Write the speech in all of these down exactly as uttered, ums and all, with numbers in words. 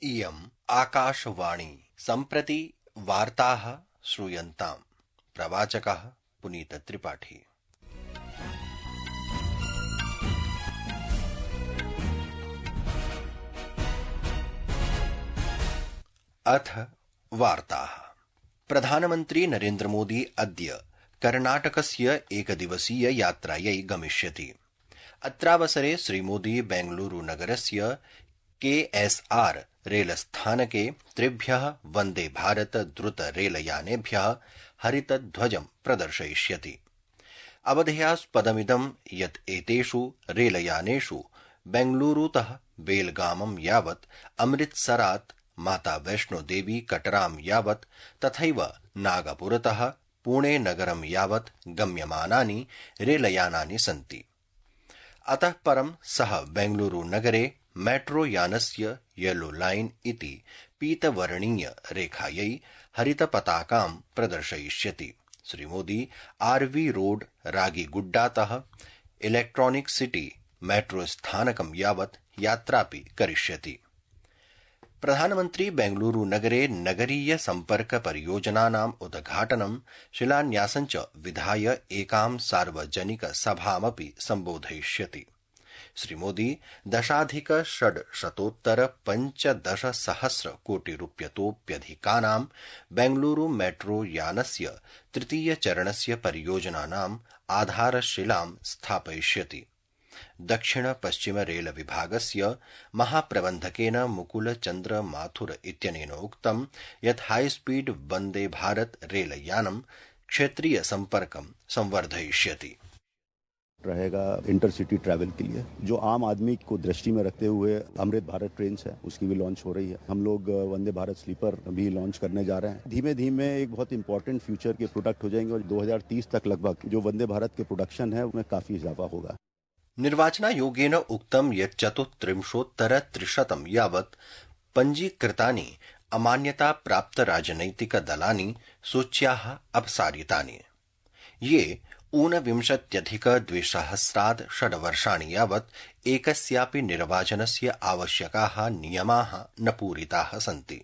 इयम् आकाशवाणी सम्प्रति वार्ताः श्रूयन्ताम्। प्रवाचकः पुनीतत्रिपाठी। अथ वार्ताः। प्रधानमन्त्री नरेन्द्र मोदी अद्य कर्णाटकस्य एकदिवसीय यात्रायै गमिष्यति। अत्रावसरे श्रीमोदी बेंगलुरू नगरस्य के एस् आर् रेलस्थानके त्रिभ्यः वन्दे भारत द्रुत रेलयानेभ्यः हरितध्वजं प्रदर्शयिष्यति। अवधेयास्पदमिदं यत् एतेषु रेलयानेषु बेंगलुरूतः बेलगामं यावत्, अमृतसरात् माता वैष्णोदेवी कटरां यावत् तथैव नागपुरतः पुणे नगरं यावत् गम्यमानानि रेलयानानि सन्ति। अतः परं सः बेंगलुरू नगरे मेट्रो यानस्य येलो लाइन इति पीतवर्णीय रेखायै हरितपताकां प्रदर्शयिष्यति। श्रीमोदी Arvi road रागीगुड्डातः electronic city metro स्थानकं यावत् यात्रापि करिष्यति। प्रधानमन्त्री बेंगलुरू नगरे नगरीय सम्पर्क परियोजनानाम् उद्घाटनं शिलान्यासं च विधाय एकां सार्वजनिक सभामपि सम्बोधयिष्यति। श्रीमोदी दशाधिक षड्शतोत्तर पञ्चदश सहस्र कोटिरूप्यतोप्यधिकानां बेंगलुरू मेट्रो यानस्य तृतीय चरणस्य परियोजनानाम् आधारशिलां स्थापयिष्यति। दक्षिण पश्चिम रेल विभागस्य महाप्रबन्धकेन मुकुल चन्द्र माथुर इत्यनेन उक्तं यत् हाईस्पीड वन्दे भारत रेलयानं क्षेत्रीय सम्पर्कं संवर्धयिष्यति। रहेगा इंटरसिटी ट्रैवल के लिए, जो आम आदमी को दृष्टि में रखते हुए अमृत भारत ट्रेन है उसकी भी लॉन्च हो रही है। हम लोग वंदे भारत स्लीपर भी लॉन्च करने जा रहे हैं। धीमे धीमे एक बहुत इंपॉर्टेंट फ्यूचर के प्रोडक्ट हो जाएंगे और दो हज़ार तीस तक लगभग जो वंदे भारत के प्रोडक्शन है उसमें काफी इजाफा होगा। निर्वाचनायोगेन उक्तं यत् चतुस्त्रिंशोत्तर त्रिशतं यावत् पञ्जीकृतानि अमान्यता प्राप्त राजनैतिक दलानि सूच्याः अपसारितानि। ये ऊनविंशत्यधिक द्विसहस्रात् षड्वर्षाणि यावत् एकस्यापि निर्वाचनस्य आवश्यकाः नियमाः न पूरिताः सन्ति।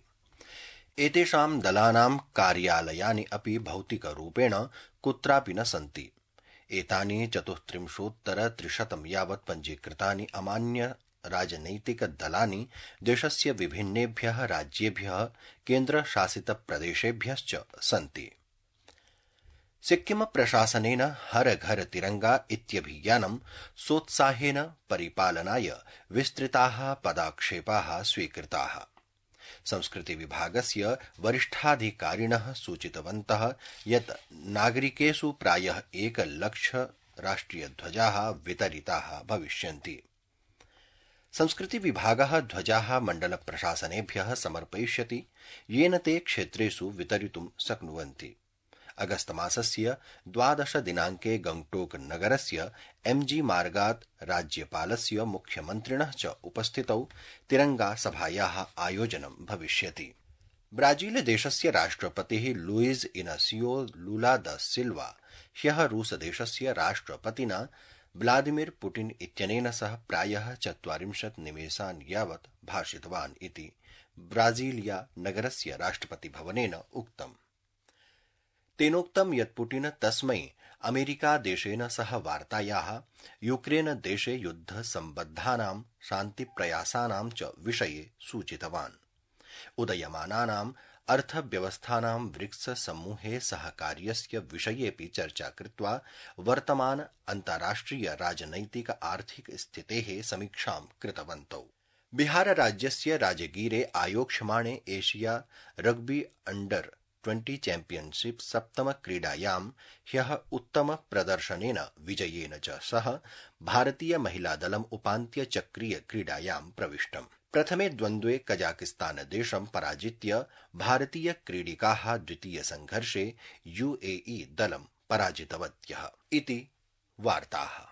एतेषां दलानां कार्यालयानि अपि भौतिकरूपेण कुत्रापि न सन्ति। एतानि चतुस्त्रिंशोत्तर त्रिशतं यावत् पञ्जीकृतानि अमान्य राजनैतिक दलानि देशस्य विभिन्नेभ्यः राज्येभ्यः केन्द्रशासितप्रदेशेभ्यश्च सन्ति। सिक्किम प्रशासनेन हर घर तिरंगा इत्यभियानं सोत्साहेन परिपालनाय विस्तृताः पदक्षेपाः स्वीकृताः। संस्कृति विभागस्य वरिष्ठाधिकारिणः सूचितवन्तः यत् नागरिकेषु प्रायः एकलक्ष राष्ट्रियध्वजाः वितरिताः भविष्यन्ति। संस्कृति विभागः ध्वजाः मण्डल प्रशासनेभ्यः समर्पयिष्यति, येन ते क्षेत्रेषु वितरितुं शक्नुवन्ति। अगस्त मासस्य द्वादश दिनाङ्के गंगटोक नगरस्य एमजी मार्गात् राज्यपालस्य मुख्यमन्त्रिणः च उपस्थितौ तिरंगा सभायाः आयोजनं भविष्यति। ब्राजील देशस्य राष्ट्रपतिः लुइज इनासियो लुला द सिल्वा ह्यः रूस देशस्य राष्ट्रपतिना व्लादिमीर पुटिन इत्यनेन सह प्रायः चत्वारिंशत् निमेषान् यावत् भाषितवान् इति ब्राजीलिया नगरस्य राष्ट्रपतिभवनेन उक्तम्। तेनोक्तं यत् पुटिन तस्मै अमेरिकादेशेन सह वार्तायाः, यूक्रेन देशे युद्धसम्बद्धानां शान्तिप्रयासानां च विषये सूचितवान्। उदयमानानां अर्थव्यवस्थानां ब्रिक्स समूहे सहकार्यस्य विषयेऽपि चर्चा कृत्वा वर्तमान अन्ताराष्ट्रिय राजनैतिक आर्थिक स्थितेः समीक्षां कृतवन्तौ। बिहार राज्यस्य राजगीरे आयोक्ष्यमाणे Asia rugby under twenty championship सप्तम क्रीडायां ह्यः उत्तम प्रदर्शनेन विजयेन च सह भारतीय महिलादलम् उपान्त्य चक्रीय क्रीडायां प्रविष्टम्। प्रथमे द्वन्द्वे कजाकिस्तान देशं पराजित्य भारतीय क्रीडिकाः द्वितीय संघर्षे यूएई दलं पराजितवत्यः इति वार्ताः।